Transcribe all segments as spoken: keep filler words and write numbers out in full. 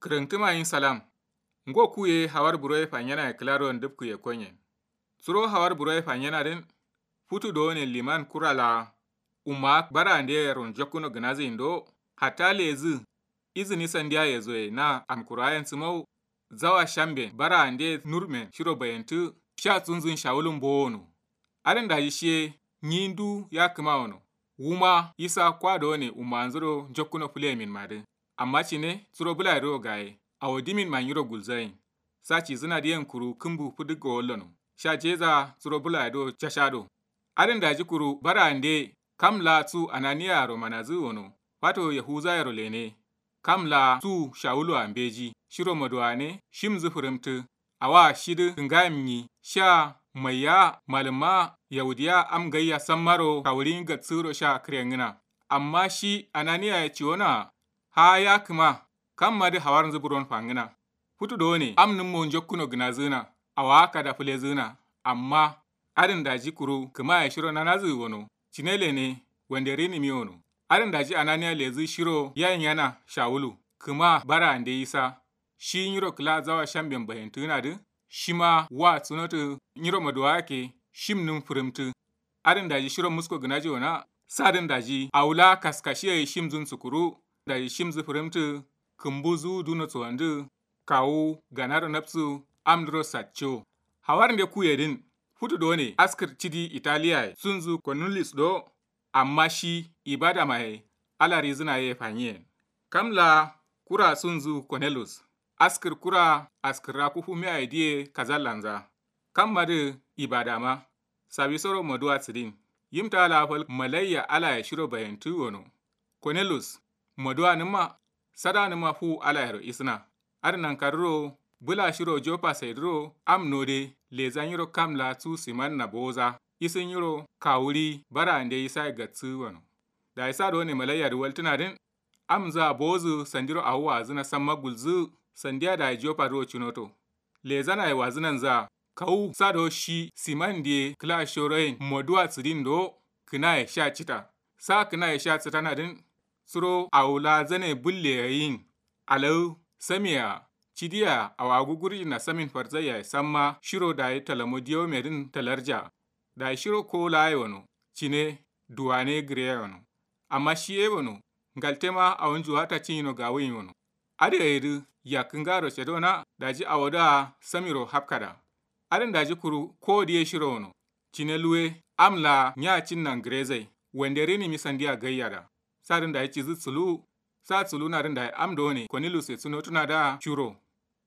Kǝrǝntǝma yin salam. Ngo ku ye hawar buro ye fanyena ye kǝla ro ndǝpkǝ ye konyen. Suro hawar buro ye fanyena dǝn futu dowone liman kura laa umma bara ande ye ronjokkuno gǝnazǝ yin do. Hatta lezǝ izǝni sandiya yezoye na amkurayen sǝmau. Zawa shamben bara ande nurmen shiro bayantǝ sha tsunzǝn shawulun bowono. Adǝn daji shiye nyi ndu ya kǝma wono. Wuma isa kwa dowone ummanzuro njokkuno fǝleyemin madǝ. Amma cine suro bǝlaye duro gaye awo dimin ma nyiro gulzayin. Sa cizǝna diyen kuru kǝmbu fǝdǝggo wallono. Sha jeza suro bǝlaye duro cashado. Adǝn daji kuru bara ande kam laa su ananiyaro manazǝ wono. Fato yahuzayero lene kam laa su shawulu a mbeji shiro maduwane shimzǝ fǝrǝmtǝ. Awa shidǝ kǝngayim nyi sha maiya malǝmma yaudiya am gaiya sammaro kawurin gatsǝro sha kǝrengǝna. Amma shi ananiya ye ciwona. Haa ya kǝma kammadǝ hawarnzǝ buron fangǝna. Futu dowone amnǝmmo njokkuno gǝnazǝna awa kada fǝlezǝna. Amma adǝn daji kuru kǝmaye shiro nanazǝ wono. Cine lene wande rinǝmi wono. Adǝn daji ananiya lezǝ shiro yayin yana shawulu kǝma bara ande yisa. Shi nyiro kǝla zawa shamben bayantǝgǝnadǝ shima wa sunotǝ. Nyiro maduwa yake shimnǝm fǝrǝmtǝ. Adǝn daji shiro musko gǝnaji wona. Sadǝn daji awula kaskashiye shimzǝn sukuru. Daji shimzǝ fǝrǝmtǝ. Kǝmbu zu duno suwandǝ kawu ganaro nabsu. Amdǝro satco. Hawarnde kuyedǝn futu done askǝr cidi italiyaye sunzǝ konulis do. Amma shi ibadamaye ala rizǝna ye fanyiyen. Kam laa kura sunzǝ konelus askǝr kura askǝrra kufu miyaye diye kazallanza. Kammadǝ ibadama sawisoro maduwa sǝdin. Yimta laa fal malaiya alaye shiro bayantǝ wono. Konelus maduwanǝmma sadanǝmma fuwu alayero isǝna. Adǝ nankarǝro bǝla shiro jopa saidǝro am node leza nyiro kam laa su simanna bowoza. Isǝ nyiro kawuri bara ande isaye gatsǝ wono. Dayi sa done malaiya dǝ waltǝnadǝn. Amza bowozǝ sandiro awo wazǝna samma gulzǝ. Sandiya dayi jopa duro cinoto. Lezanaye wazǝnanza kawu sa do shi siman diye kǝla shoroyen maduwa sǝdin do. Kǝnaye sha cita sa kǝnaye sha citana dǝn. Suro awo laa zane bǝlle yayin alawu samiya cidiya awo agugurjina samin farzaiyaye samma shiro dayi talamo diyaume dǝn talarja. Dayi shiro kowo laa ye wono. Cine duwane gǝreye wono. Amma shi ye wono. Ngaltema awo njuwata cinyino gawuyin wono. Adǝ gayedǝ yakkǝ ngaro cedona daji awodǝa samiro hafkada. Adǝn daji kuru kowo diye shiro wono. Cine luwe am laa nya cinnan gǝrezai wande rinǝmi sandiya gaiyada. Sadǝn dayi cizǝ suluwu. Sa suluwunadǝn dayi am done konilus ye sunotunada curo.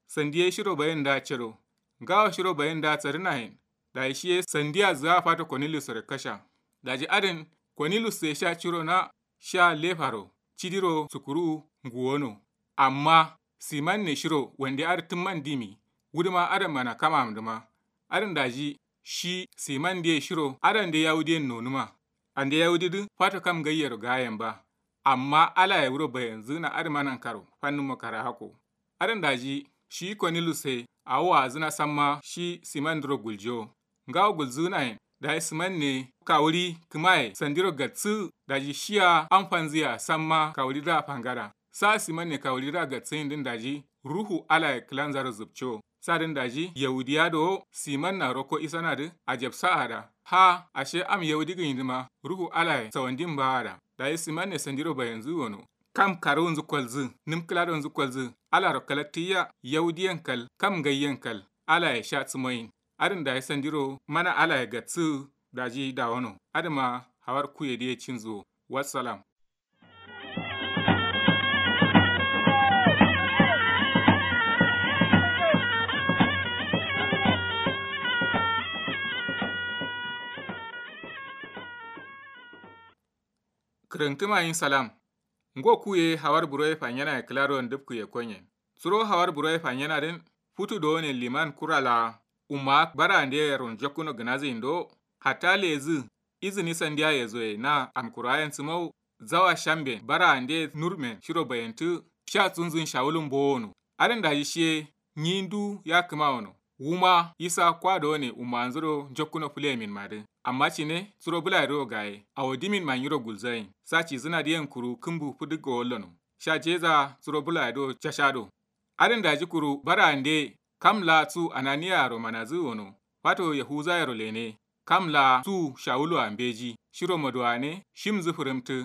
Sandiye shiro bayin da cedo. Ngawo shiro bayin da sadǝnayen. Dayi shiye sandiya zǝwa fato konilus re kasha. Daji adǝn konilus ye sha curo na sha lefaro cidiro sukuru nguwono. Amma simanne shiro wande adǝ tǝmman dimi. Wudǝma adǝ mana kamamdǝma. Adǝn daji shi siman diye shiro adande yawudiyen nonuma. Ande yawudidǝ fato kam ngaiyero gayen ba. Amma alaye wuro bayanzǝna adǝma nankaro fannǝmmo kara hako. Adǝn daji shi konilus ye awo wazǝna samma shi simandǝro guljo. Ngawo gulzǝgǝnayen dayi simanne kawuri kǝmaye sandiro gatsǝ. Daji shiya amfanzǝya samma kawuridǝa fangada. Sa simanne kawuridǝa gatsǝyindǝn daji ruhu alaye kǝlanzaro zǝbco. Sadǝn daji yahudiya do simanna rokko isanadǝ ajabsaada. Ha ashe am yahudi gǝnyidǝma ruhu alaye sawandin baada. Dayi simanne sandiro bayanzǝ wono. Kam karuwunzǝ kolzǝ nǝm kǝladonzǝ kolzǝ alaro kalattǝyya. Yahudiyen kal kam ngaiyen kal alaye sha sǝmoyin. Adǝn dayi sandiro mana alaye gatsǝ. Daji dawono adǝma hawar kuyedǝye cinzǝ wo. Wassalam. Kǝrǝntǝma yin salam. Ngo ku ye hawar buro ye fanyena ye kǝla ro ndǝpkǝ ye konyen. Suro hawar buro ye fanyena dǝn futu dowone liman kura laa umma bara ande ye ronjokkuno gǝnazǝ yin do. Hatta lezǝ izǝni sandiya yezoye na amkurayen sǝmau. Zawa shamben bara ande nurmen shiro bayantǝ sha tsunzǝn shawulun bowono. Adǝn daji shiye nyi ndu ya kǝma wono. Wuma isa kwa done ummanzǝro njokkuno fǝleyemin madǝ. Amma cine suro bǝlaye duro gaye awo dimin ma nyiro gulzayin. Sa cizǝna diyen kuru kǝmbu fǝdǝggo wallono. Sha jeza suro bǝlaye duro cashado. Adǝn daji kuru bara'ande kam laa su ananiyaro manazǝ wono. Fato yahuza yero lene kam laa su shawulu a mbeji shiro moduwane shimzǝ fǝrǝmtǝ.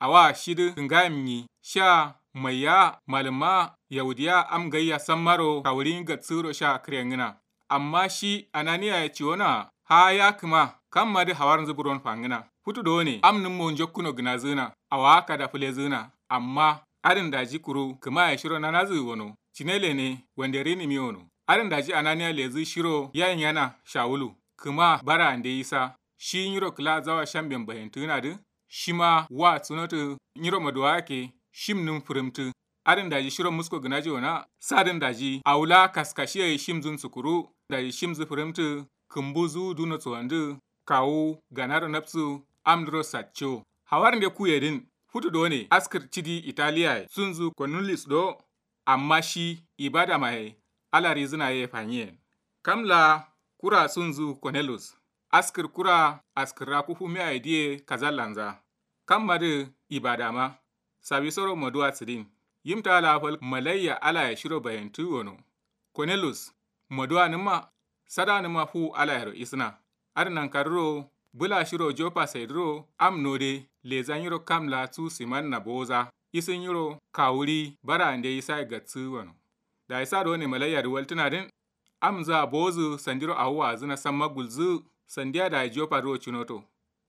Awa shidǝ kǝngayim nyi sha maiya malǝmma yaudiya am gaiya sammaro kawurin gatsǝro sha kǝrengǝna. Amma shi ananiya ye ciwona ha ya kǝma kammadǝ hawarnzǝ buron fangǝna. Futu done am nǝmmo njokkuno gǝnazǝna awa kada fǝlezǝna. Amma adǝn daji kuru kǝma ye shiro nanazǝ wono cine lene wande rinǝmi wono. Adǝn daji ananiya lezǝ shiro yayin yana shawulu kǝma bara ande yisa shi nyiro kǝla zawa shamben bahentǝgǝnadǝ. Shima wa sunotǝ nyiro maduwa yake shim nǝm fǝrǝmtǝ. Adǝn daji shiro musko gǝnaji wona sadǝn daji awula kaskashiye shimzǝn sukuru daji shimzǝ fǝrǝmtǝ. Kǝmbu zuwu duno suwandǝ kawu ganaro nabsu amdǝro satco. Hawarnde kuyedǝn futu done askǝr cidi italiyaye sunzǝ konullis do. Amma shi ibadamaye ala rizǝna ye fanyiyen. Kam laa kura sunzǝ konelus askǝr kura askǝrra kufu miyaye diye kazallanza. Kammadǝ ibadama sawisoro moduwa sǝdin. Yimta laa fal malaiya alaye shiro bayentǝ wono. Konelus moduwanǝmma sadanǝmma fuwu alayero isǝna. Adǝ nankarǝro bǝla shiro jopa saidǝro am node leza nyiro kam laa su simanna bowoza isǝ nyiro kawuri bara ande isaye gatsǝ wono. Dayi sa done malaiyadǝ waltǝnadǝn amza bowozǝ sandiro awo wazǝna samma gulzǝ. Sandiya dayi jopa duro cunoto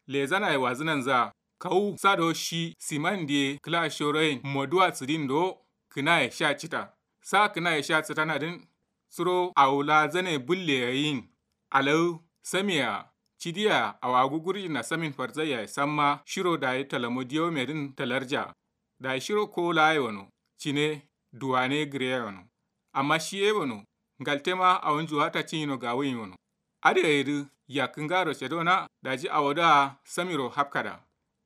lezanaye wazǝnanza kawu sa do shi simandiye kǝla shoroyen moduwa sǝdin do. Kǝnaye sha cita sa kǝnaye sha cǝtanadǝn suro awo laa zane bǝlle yayin. Alawu samiya cidiya awagu gurjina samin farzaiyaye samma shiro dayi talamo diyomedǝn talarja. Dayi shiro kowo laa ye wono cine duwane gǝreya wono. Amma shi ye wono ngaltema awonju wata cinyino gawuyin wono. Adǝ gayedǝ yakkǝ ngaro cedona daji awodǝa samiro hafkada.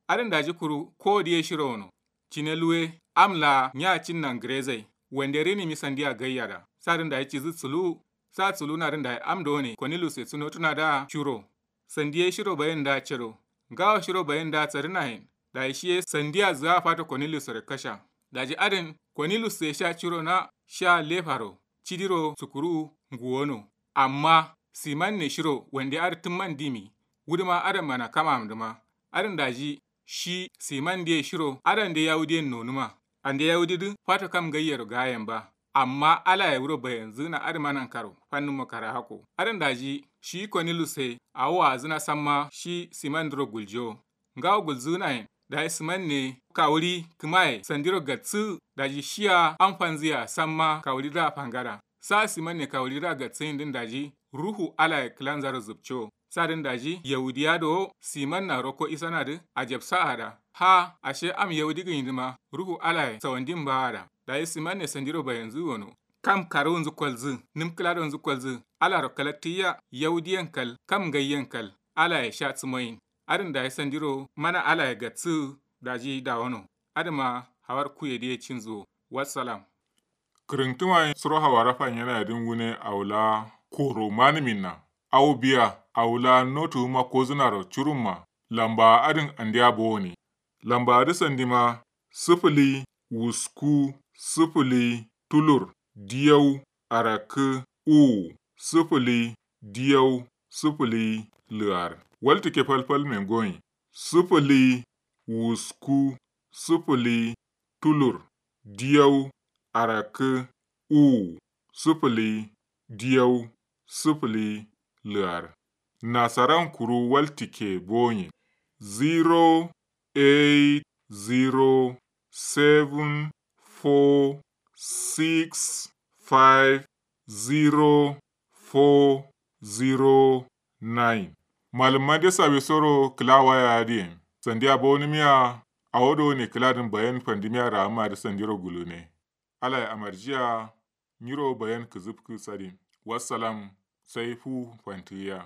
Adǝn daji kuru kowodǝ ye shiro wono cine luwe am laa nya cinnan gǝrezai wande rinǝmi sandiya gaiyada. Sadǝn daji cidǝ suluwu sa suluwunadǝn dayi am done konilus ye sunotunadǝa curo. Sandiye shiro bayin da cero ngawo shiro bayin da tsadǝnayen. Dayi shiye sandiya zǝga fato konilus sore kasha. Daji adǝn konilus ye sha ciro na sha lefaro cidiro sukuru nguwono. Amma siman ne shiro wande adǝ tǝmman dimi wuduma adǝn mana kamamdǝma. Adǝn daji shi siman diye shiro adande yawudiyen nonuma. Ande yawudidǝ fato kam ngaiyero gayen ba. Amma alaye wuro bayenzǝna adǝma nankaro fannǝmmo karahako adǝn daji shi konilus ye awo wazǝna samma shi simandǝro guljo. Ngawo gulzǝgǝnayen dayi siman ne kawuri kǝmaye sandiro gatsǝ. Daji shiya amfanzǝya samma kawuridǝa fangada sa siman ne kawuridǝa gatsǝyindǝn daji ruhu alaye kǝlanzaro zǝbco. Sadǝn daji yaudiya dowo simanna rokko isanadǝ ajabsa ada ha ashe am yaudi gǝnyidǝma ruhu alaye sawandin ba ada. Dayi siman ne sandiro bayenzǝ wono kam karuwunzǝ kolzǝ nǝm kǝladonzǝ kolzǝ alaro kalaktǝyiya yaudiyen kal kam ngaiyen kal alaye sha sǝmoyin. Adǝn dayi sandiro mana alaye gatsǝ daji dawono. Adǝma hawar kuyedǝye cinzǝ wo wassalam. Kǝrǝntǝma ye suro hawara fanyena yedǝn wune awo laa koro manǝminna awo biya awo laa notuwuma kozǝnaro curumma. Lambawa adǝn andeya bowone. Lambawadǝ sandima sǝfǝli wusku sǝfǝli tulur diyau arakkǝ uwu sǝfǝli diyau sǝfǝli lǝar. Waltǝkke falfal mengonyi sǝfǝli wusku sǝfǝli tulur diyau arakkǝ uwu sǝfǝli diyau sǝfǝli lǝar. Nasaran kuru waltǝkke bonye zero eight zero seven four six five zero four zero nine. Malǝmma de sawisoro kǝla waya adǝyen sandiya bowonǝmiya. Awo done kǝladǝn bayen fandǝmiya raammadǝ sandiro gulune. Alaye amarjiya nyiro bayen kǝzǝfkǝ sadin. Wassalam. Sai fu fantǝgǝya.